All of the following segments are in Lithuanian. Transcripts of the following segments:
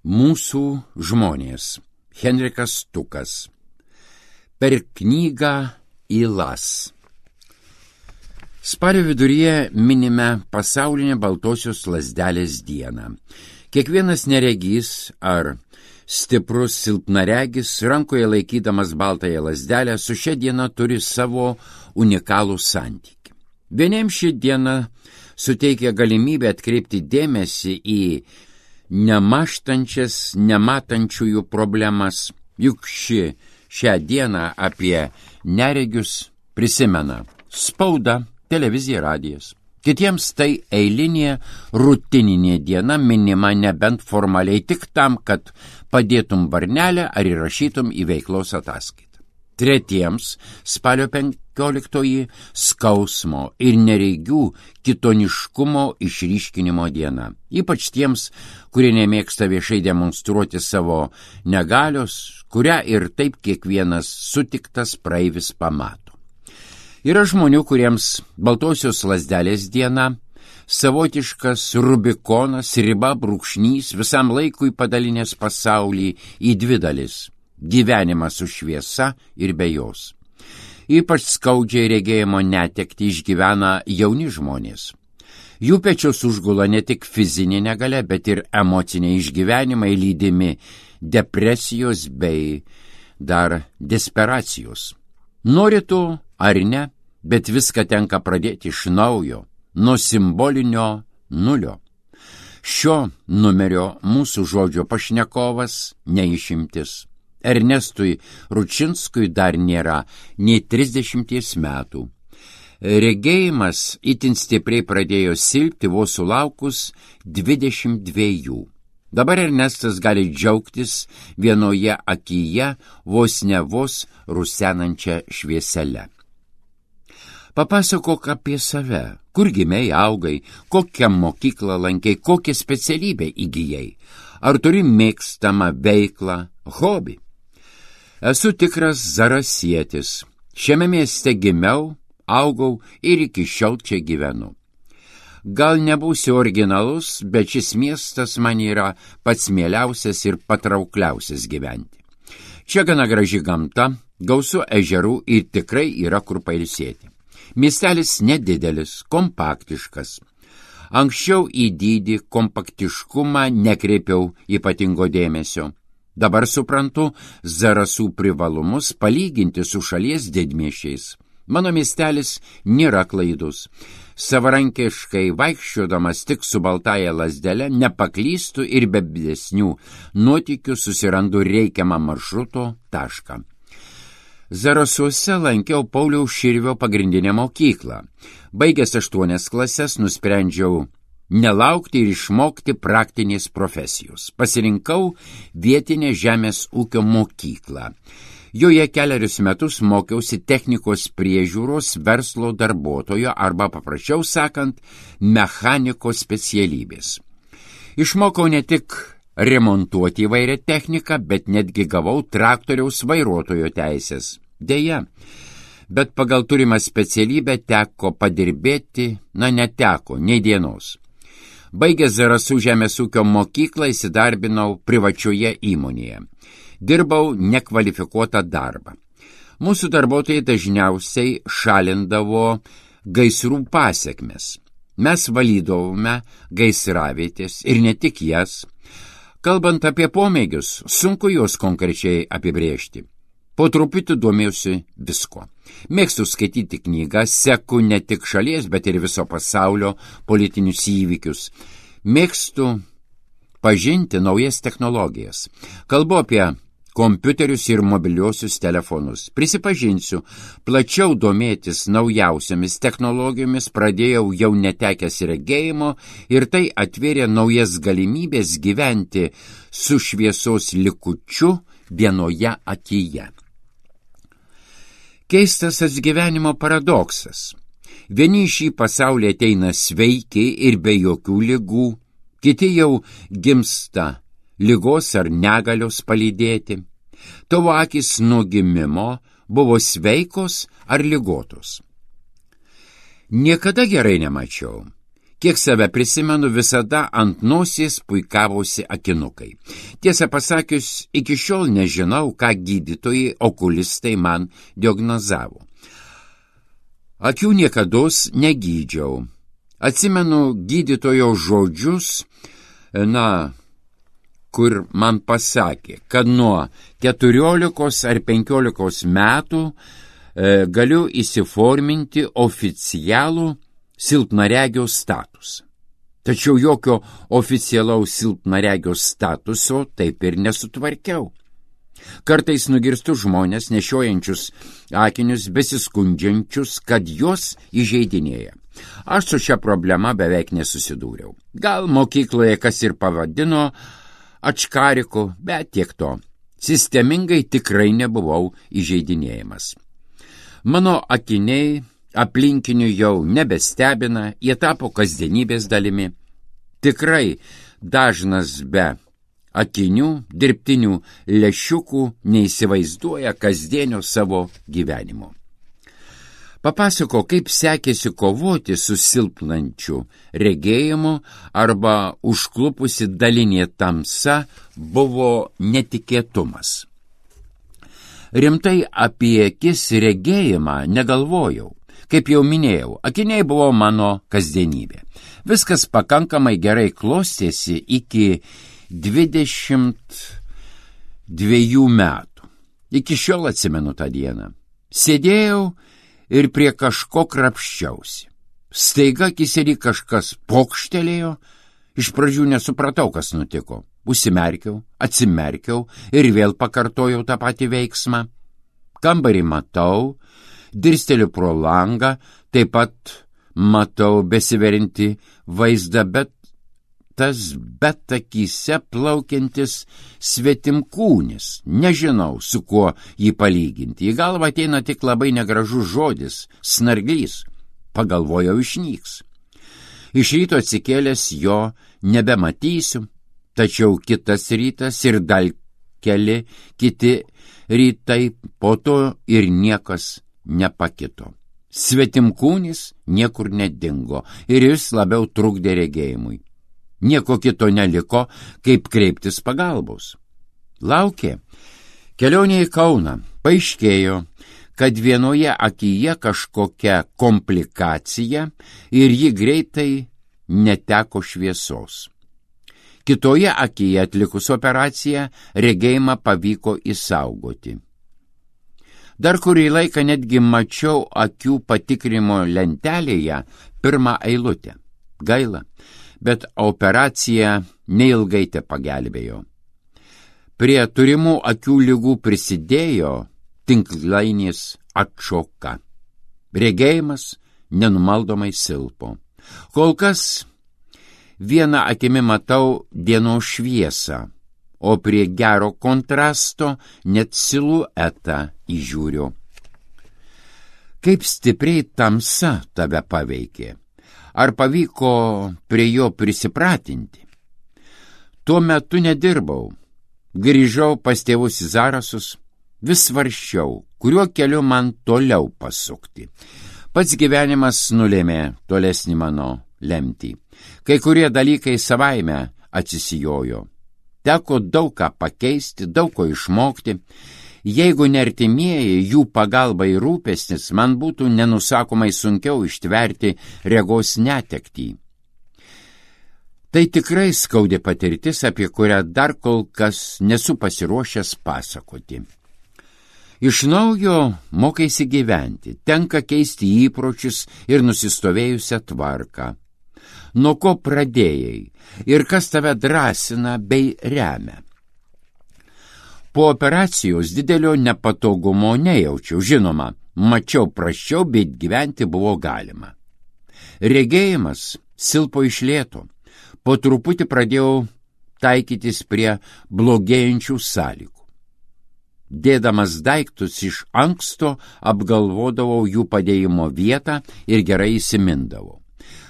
Mūsų žmonės. Henrikas Stukas. Per knygą Ylas. Spalio viduryje minime pasaulinę baltosios lazdelės dieną. Kiekvienas neregys ar stiprus silpnaregis, rankoje laikydamas baltąją lazdelę, su šia diena turi savo unikalų santykį. Vieniems ši diena suteikia galimybę atkreipti dėmesį į nemaštančias, nematančiųjų problemas, juk šią dieną apie neregius prisimena spauda, televizija, radijas. Kitiems tai eilinė, rutininė diena, minima nebent formaliai tik tam, kad padėtum varnelę ar įrašytum į veiklos ataskaitą. Tretiems spalio 15 skausmo ir neregių kitoniškumo išryškinimo diena. Ypač tiems, kurie nemėgsta viešai demonstruoti savo negalios, kurią ir taip kiekvienas sutiktas praeivis pamato. Yra žmonių, kuriems baltosios lazdelės diena savotiškas Rubikonas, riba, brūkšnys, visam laikui padalinęs pasaulį į dvi dalis – gyvenimą su šviesa ir be jos. Ypač skaudžiai regėjimo netektį išgyvena jauni žmonės. Jų pečius užgula ne tik fizinė negalia, bet ir emociniai išgyvenimai lydimi depresijos bei dar desperacijos. Nori tu ar ne, bet viską tenka pradėti iš naujo, nuo simbolinio nulio. Šio numerio mūsų žodžio pašnekovas neišimtis. Ernestui Ručinskui dar nėra nei 30 metų. Regėjimas itin stipriai pradėjo silpti vos sulaukus 22. Dabar Ernestas gali džiaugtis vienoje akyje vos ne vos rusenančią švieselę. Papasakok apie save, kur gimei, augai, kokią mokyklą lankei, kokią specialybę įgijai, ar turi mėgstamą veiklą, hobį. Esu tikras zarasietis. Šiame mieste gimiau, augau ir iki šiol čia gyvenu. Gal nebūsiu originalus, bet šis miestas man yra pats mieliausias ir patraukliausias gyventi. Čia gana graži gamta, gausu ežerų ir tikrai yra kur pailsėti. Miestelis nedidelis, kompaktiškas. Anksčiau į dydį, kompaktiškumą nekreipiau ypatingo dėmesio. Dabar suprantu Zarasų privalumus palyginti su šalies didmiesčiais. Mano miestelis nėra klaidus. Savarankiškai vaikščiodamas tik su baltąja lazdele nepaklystu ir be didesnių nuotykių susirandu reikiamą maršruto tašką. Zarasuose lankiau Pauliaus Širvio pagrindinę mokyklą. Baigęs 8 klases nusprendžiau nelaukti ir išmokti praktinės profesijos. Pasirinkau vietinę žemės ūkio mokyklą. Joje 4 metus mokiausi technikos priežiūros verslo darbuotojo arba, paprasčiau sakant, mechaniko specialybės. Išmokau ne tik remontuoti įvairią techniką, bet netgi gavau traktoriaus vairuotojo teisės. Deja, bet pagal turimą specialybę teko padirbėti, neteko, nei dienos. Baigęs Zarasų žemės ūkio mokyklą įsidarbinau privačioje įmonėje. Dirbau nekvalifikuotą darbą. Mūsų darbuotojai dažniausiai šalindavo gaisrų pasekmes. Mes valydavome gaisravietės ir ne tik jas. Kalbant apie pomėgius, sunku juos konkrečiai apibrėžti. Po truputį domėjausi visko. Mėgstu skaityti knygas, seku ne tik šalies, bet ir viso pasaulio politinius įvykius. Mėgstu pažinti naujas technologijas. Kalbu apie kompiuterius ir mobiliuosius telefonus. Prisipažinsiu, plačiau domėtis naujausiamis technologijomis pradėjau jau netekęs regėjimo ir tai atvėrė naujas galimybės gyventi su šviesos likučiu vienoje akyje. Keistas gyvenimo paradoksas. Vieni į šį pasaulį ateina sveiki ir be jokių ligų, kiti jau gimsta ligos ar negalios palydėti. Tavo akys nuo gimimo buvo sveikos ar ligotos. Niekada gerai nemačiau. Kiek save prisimenu, visada ant nosies puikavosi akinukai. Tiesą pasakius, iki šiol nežinau, ką gydytojai okulistai man diagnozavo. Akių niekados negydžiau. Atsimenu gydytojo žodžius, kur man pasakė, kad nuo 14 ar 15 metų galiu įsiforminti oficialų silpnaregio statusą. Tačiau jokio oficialaus silpnaregio statuso taip ir nesutvarkiau. Kartais nugirstu žmonės nešiojančius akinius, besiskundžiančius, kad juos įžeidinėja. Aš su šia problema beveik nesusidūriau. Gal mokykloje kas ir pavadino ačkariku, bet tiek to. Sistemingai tikrai nebuvau įžeidinėjimas. Mano akiniai aplinkinių jau nebestebina, jie tapo kasdienybės dalimi. Tikrai dažnas be akinių, dirbtinių lęšiukų neįsivaizduoja kasdienio savo gyvenimo. Papasako, kaip sekėsi kovoti su silpnančiu regėjimu arba užklupusi dalinė tamsa buvo netikėtumas. Rimtai apie akis regėjimą negalvojau. Kaip jau minėjau, akiniai buvo mano kasdienybė. Viskas pakankamai gerai klostėsi iki 22 metų. Iki šiol atsimenu tą dieną. Sėdėjau ir prie kažko krapščiausi. Staiga akyse kažkas pokštelėjo, iš pradžių nesupratau, kas nutiko. Užsimerkiau, atsimerkiau ir vėl pakartojau tą patį veiksmą. Kambarį matau, dirsteliu pro langą, taip pat matau besiverinti vaizdą, bet akyse plaukiantis svetimkūnis. Nežinau, su kuo jį palyginti. Į galvą ateina tik labai negražus žodis – snarglys. Pagalvojau, išnyks. Iš ryto atsikėlęs jo nebematysiu, tačiau kitas rytas ir dar keli kiti rytai po to ir niekas nepakito. Svetimkūnis niekur nedingo ir jis labiau trukdė regėjimui. Nieko kito neliko, kaip kreiptis pagalbos. Laukė. Kelionė į Kauną. Paaiškėjo, kad vienoje akyje kažkokia komplikacija ir ji greitai neteko šviesos. Kitoje akyje atlikus operaciją regėjimą pavyko išsaugoti. Dar kurį laiką netgi mačiau akių patikrimo lentelėje pirmą eilutę. Gaila, bet operacija neilgai te pagelbėjo. Prie turimų akių ligų prisidėjo tinklainės atšoka. Regėjimas nenumaldomai silpo. Kol kas vieną akimi matau dienos šviesą, o prie gero kontrasto net siluetą įžiūriu. Kaip stipriai tamsa tave paveikė? Ar pavyko prie jo prisipratinti? Tuo metu nedirbau. Grįžau pas tėvus į Zarasus, vis svarsčiau, kuriuo keliu man toliau pasukti. Pats gyvenimas nulėmė tolesnį mano lemtį. Kai kurie dalykai savaime atsisijojo. Teko daug ką pakeisti, daug ko išmokti. Jeigu ne artimieji, jų pagalba ir rūpestis, man būtų nenusakomai sunkiau ištverti regos netektį. Tai tikrai skaudi patirtis, apie kurią dar kol kas nesu pasiruošęs pasakoti. Iš naujo mokaisi gyventi, tenka keisti įpročius ir nusistovėjusią tvarką. Nuo ko pradėjai ir kas tave drąsina bei remia? Po operacijos didelio nepatogumo nejaučiau, žinoma, mačiau prasčiau, bet gyventi buvo galima. Regėjimas silpo iš lėto. Po truputį pradėjau taikytis prie blogėjančių sąlygų. Dėdamas daiktus iš anksto apgalvodavau jų padėjimo vietą ir gerai įsimindavau.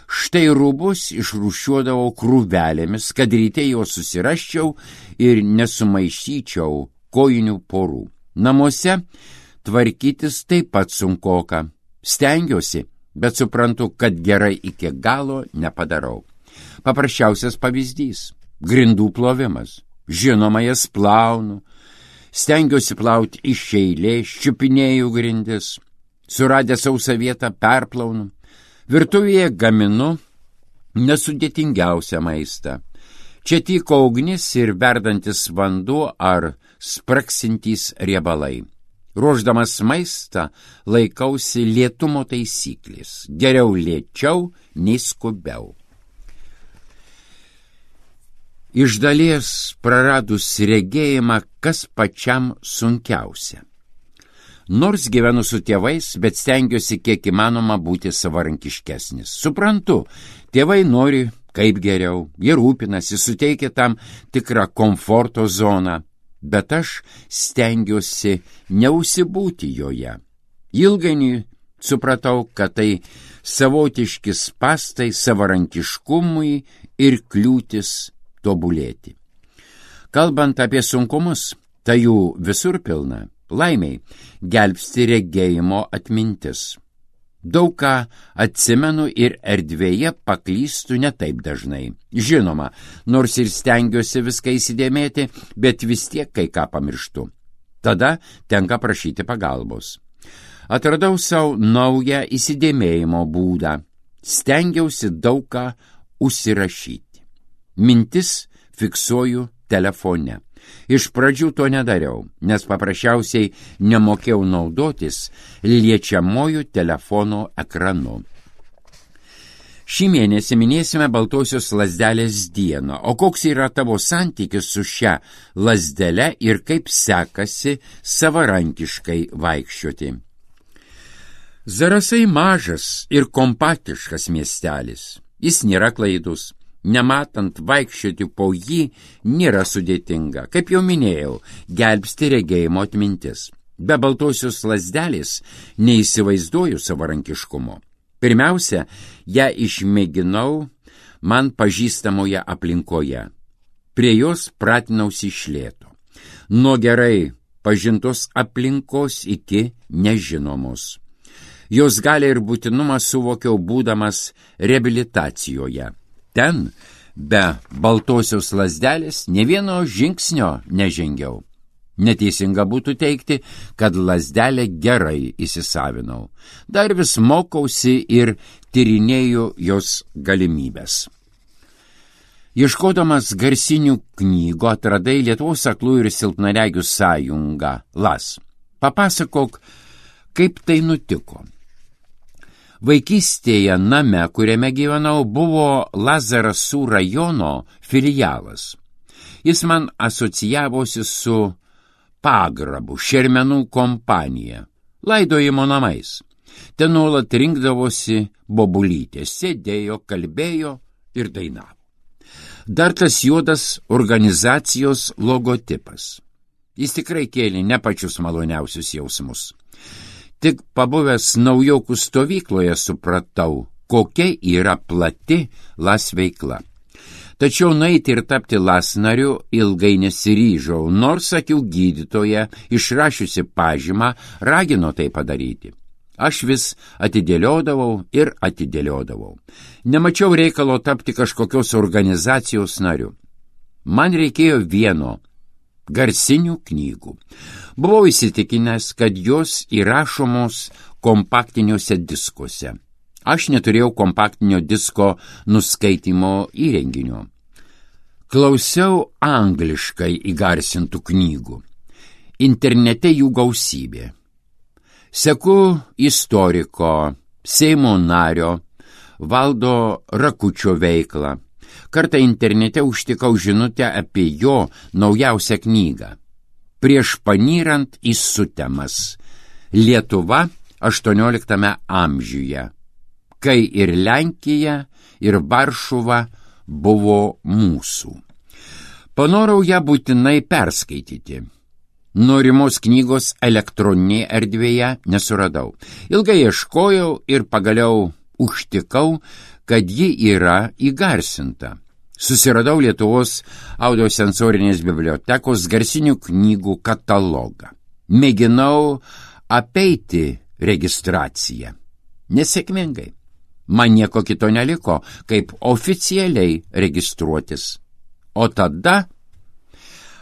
Štai rūbus išrūšiuodavau krūvelėmis, kad ryte juos susiraščiau ir nesumaišyčiau kojinių porų. Namuose tvarkytis taip pat sunkoka. Stengiuosi bet suprantu, kad gerai iki galo nepadarau. Paprasčiausias pavyzdys – grindų plovimas. Žinoma, jas plaunu, stengiuosi plauti iš eilės, čiupinėju grindis, suradę sausą vietą perplaunu, virtuvėje gaminu nesudėtingiausią maistą. Čia tyko ugnis ir verdantis vanduo ar spraksintys riebalai. Ruošdamas maistą laikausi lėtumo taisyklės. Geriau lėčiau nei skubiau. Iš dalies praradus regėjimą, kas pačiam sunkiausia. Nors gyvenu su tėvais, bet stengiuosi kiek įmanoma būti savarankiškesnis. Suprantu, tėvai nori kaip geriau, jie rūpinasi, suteikia tam tikrą komforto zoną, bet aš stengiuosi neužsibūti joje. Ilgainiui supratau, kad tai savotiški spąstai savarankiškumui ir kliūtis tobulėti. Kalbant apie sunkumus, tai jų visur pilna. Laimiai gelbsti regėjimo atmintis. Daug ką atsimenu ir erdvėje paklystu ne taip dažnai. Žinoma, nors ir stengiuosi viską įsidėmėti, bet vis tiek kai ką pamirštu. Tada tenka prašyti pagalbos. Atradau savo naują įsidėmėjimo būdą. Stengiausi daug ką užsirašyti. Mintis fiksuoju telefone. Iš pradžių to nedariau, nes paprasčiausiai nemokėjau naudotis liečiamojų telefono ekranu. Šį mėnesį minėsime Baltosios lazdelės dieną. O koks yra tavo santykis su šia lazdele ir kaip sekasi savarankiškai vaikščioti? Zarasai mažas ir kompaktiškas miestelis. Jis nėra klaidus. Nematant vaikščioti po jį nėra sudėtinga. Kaip jau minėjau, gelbsti regėjimo atmintis. Be Baltosios lazdelės neįsivaizduoju savarankiškumo. Pirmiausia, ją išmėginau man pažįstamoje aplinkoje. Prie jos pratinausi iš lėto. Nuo gerai pažintos aplinkos iki nežinomos. Jos galią ir būtinumą suvokiau būdamas reabilitacijoje. Ten, be Baltosios lazdelės, ne vieno žingsnio nežengiau. Neteisinga būtų teigti, kad lazdelę gerai įsisavinau. Dar vis mokausi ir tyrinėju jos galimybės. Ieškodamas garsinių knygų atradai Lietuvos aklųjų ir silpnaregių sąjungą LAS. Papasakok, kaip tai nutiko. Vaikystėje name, kuriame gyvenau, buvo Lazarasų rajono filialas. Jis man asocijavosi su pagrabu, šermenų kompanija, laidojimo namais. Ten nuolat rinkdavosi bobulytės, sėdėjo, kalbėjo ir dainavo. Dar tas juodas organizacijos logotipas. Jis tikrai kėlė ne pačius maloniausius jausmus. Tik pabuvęs naujokų stovykloje supratau, kokia yra plati LAS veikla. Tačiau nueiti ir tapti LAS nariu ilgai nesiryžau, nors akių gydytoja, išrašiusi pažymą, ragino tai padaryti. Aš vis atidėliodavau ir atidėliodavau. Nemačiau reikalo tapti kažkokios organizacijos nariu. Man reikėjo vieno – garsinių knygų. Buvau įsitikinęs, kad jos įrašomos kompaktiniuose diskuose. Aš neturėjau kompaktinio disko nuskaitymo įrenginio. Klausiau angliškai įgarsintų knygų. Internete jų gausybė. Seku istoriko, Seimo nario, Valdo Rakučio veiklą. Kartą internete užtikau žinutę apie jo naujausią knygą. Prieš panyrant į sutemas. Lietuva 18 amžiuje, kai ir Lenkija, ir Varšuva buvo mūsų. Panorau ją būtinai perskaityti. Norimos knygos elektroninėje erdvėje nesuradau. Ilgai ieškojau ir pagaliau užtikau, kad ji yra įgarsinta. Susiradau Lietuvos audiosensorinės bibliotekos garsinių knygų katalogą. Mėginau apeiti registraciją. nesėkmingai. Man nieko kito neliko, kaip oficialiai registruotis. O tada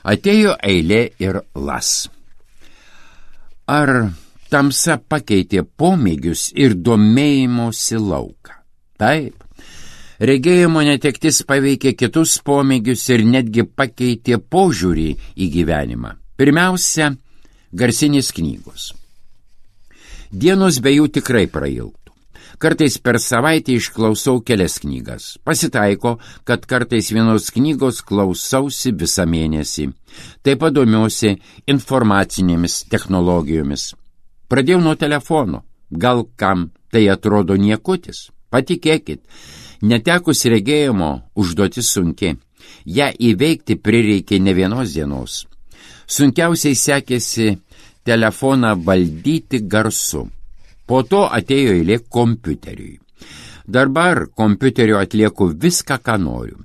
atėjo eilė ir las. Ar tamsa pakeitė pomėgius ir domėjimosi lauką? Taip. Regėjimo netektis paveikė kitus pomėgius ir netgi pakeitė požiūrį į gyvenimą. Pirmiausia, garsinės knygos. Dienos be jų tikrai prailgtų. Kartais per savaitę išklausau kelias knygas. Pasitaiko, kad kartais vienos knygos klausausi visą mėnesį. Taip pat domiuosi informacinėmis technologijomis. Pradėjau nuo telefono. Gal kam tai atrodo niekutis? Patikėkit, netekus regėjimo užduotis sunki. Ja įveikti prireikė ne vienos dienos. Sunkiausiai sekėsi telefoną valdyti garsu. Po to atėjo eilė kompiuteriui. Dabar kompiuteriu atlieku viską, ką noriu.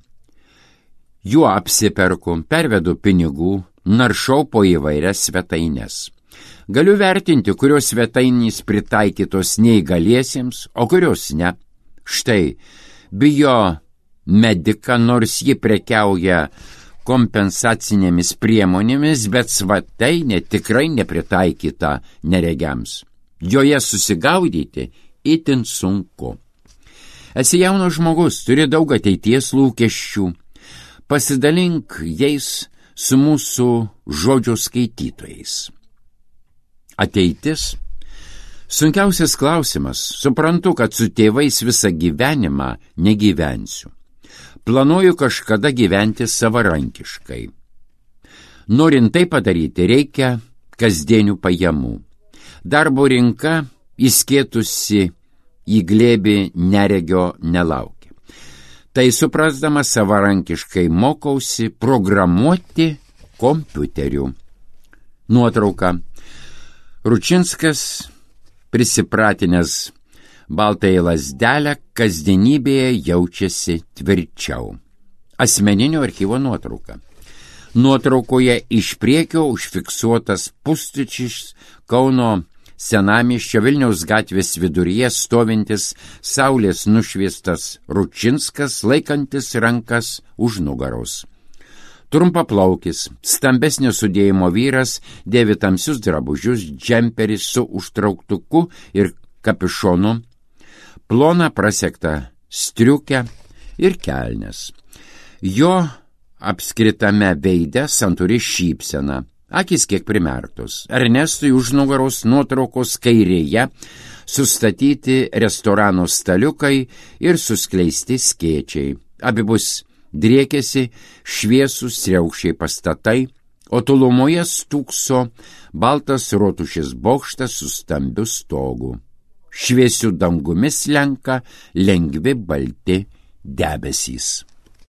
Juo apsiperku, pervedu pinigų, naršau po įvairias svetaines. Galiu vertinti, kurios svetainės pritaikytos neįgaliesiems, o kurios ne. Štai, Biomedika, nors ji prekiauja kompensacinėmis priemonėmis, bet svetainė tikrai nepritaikyta neregiams. Joje susigaudyti itin sunku. Esi jaunas žmogus, turi daug ateities lūkesčių. Pasidalink jais su mūsų žodžio skaitytojais. Ateitis? Sunkiausias klausimas. Suprantu, kad su tėvais visą gyvenimą negyvensiu. Planuoju kažkada gyventi savarankiškai. Norint tai padaryti, reikia kasdienių pajamų. Darbo rinka įskėtusi į glėbį neregio nelaukia. Tai suprasdama savarankiškai mokausi programuoti kompiuteriu. Nuotrauka. Ručinskas, prisipratinęs baltąją lazdelę, kasdienybėje jaučiasi tvirčiau. Asmeninio archyvo nuotrauka. Nuotraukoje iš priekio užfiksuotas pustučiais Kauno senamiesčio Vilniaus gatvės viduryje stovintis saulės nušviestas Ručinskas, laikantis rankas už nugaros. Trumpaplaukis, stambesnio sudėjimo vyras, dėvi tamsius drabužius, džemperį su užtrauktuku ir kapišonu, ploną prasektą striukę ir kelnes. Jo apskritame veide santūri šypsena, akis kiek primertos. Ernestui už nugaros nuotraukos kairėje sustatyti restorano staliukai ir suskleisti skėčiai. Abipus driekėsi šviesūs riaukščiai pastatai, o tolumoje stūkso baltas rotušės bokštas su stambiu stogu. Šviesiu dangumi slenka lengvi balti debesys.